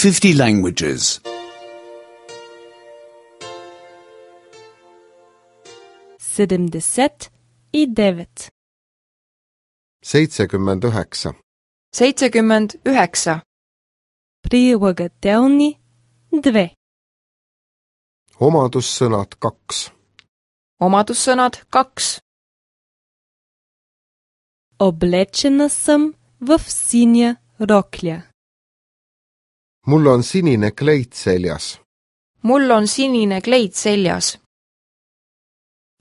50 languages. 79. 79. 79. Прилагателни 2. Omadussõnad 2. Omadussõnad 2. Облечена съм в синя рокля. Mul on sinine kleit seljas. Mul on sinine kleit seljas.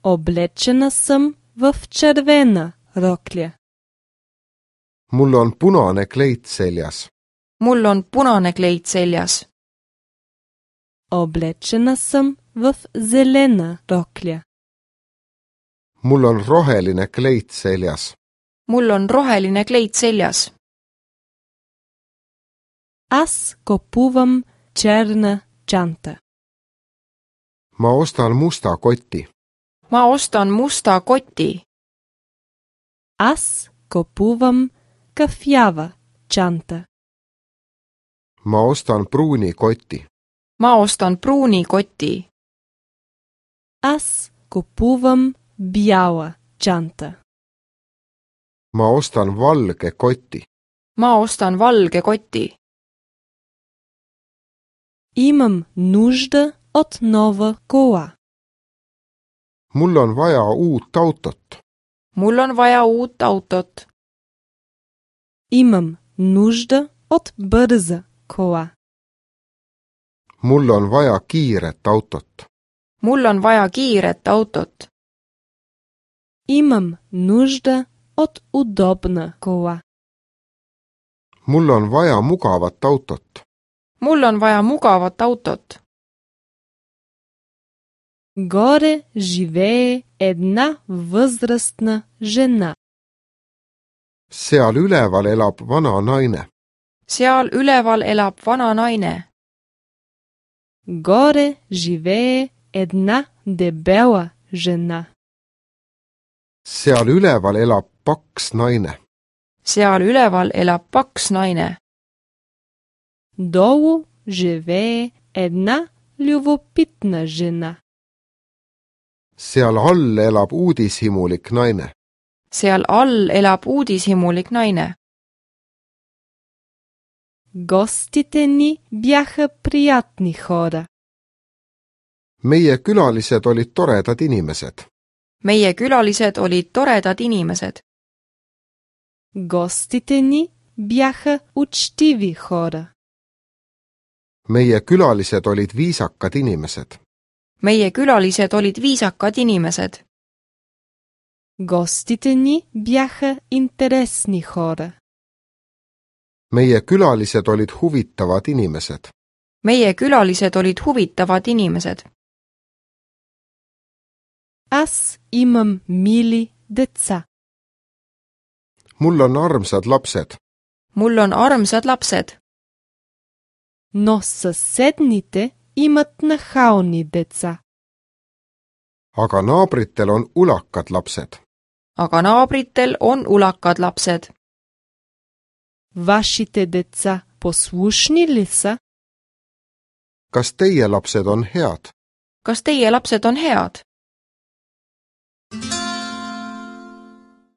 Облечена съм в червена рокля. Mul on punane kleit seljas. Mul on punane kleit seljas. Облечена съм в зелена рокля. Mul on roheline kleit seljas. Mul on roheline kleit seljas. Аз купувам черна чанта. Ma ostan musta koti. Ma ostan musta koti. Аз купувам кафява чанта. Ma ostan pruuni koti. Ma ostan pruuni koti. Аз купувам бяла чанта. Ma ostan valge koti. Ma ostan valge koti. Имам нужда от нова кола. Mul on vaja uut autot. Mul on vaja uut autot. Имам нужда от бърза кола. Mul on vaja kiiret autot. Mul on vaja kiiret autot. Имам нужда от удобна кола. Mul on vaja mugavat autot. Mul on vaja mugavat autot. Горе живее една възрастна жена. Seal üleval elab vana naine. Seal üleval elab vana naine. Горе живее една дебела жена. Seal üleval elab paks naine. Seal üleval elab paks naine. Долу живее една любопитна жена. Seal all elab uudishimulik naine. Seal all elab uudishimulik naine. Гостите ни бяха приятни хора. Meie külalised olid toredad inimesed. Meie külalised olid toredad inimesed. Гостите ни бяха учтиви хора. Meie külalised olid viisakad inimesed. Meie külalised olid viisakad inimesed. Гостите ни бяха интересни хора. Meie külalised olid huvitavad inimesed. Meie külalised olid huvitavad inimesed. Аз имам мили деца. Mul on armsad lapsed. Mul on armsad lapsed. Но съседните имат нахални деца. Aga naabritel on ulakad lapsed. Aga naabritel on ulakad lapsed. Вашите деца послушни ли са? Kas teie lapsed on head? Kas teie lapsed on head?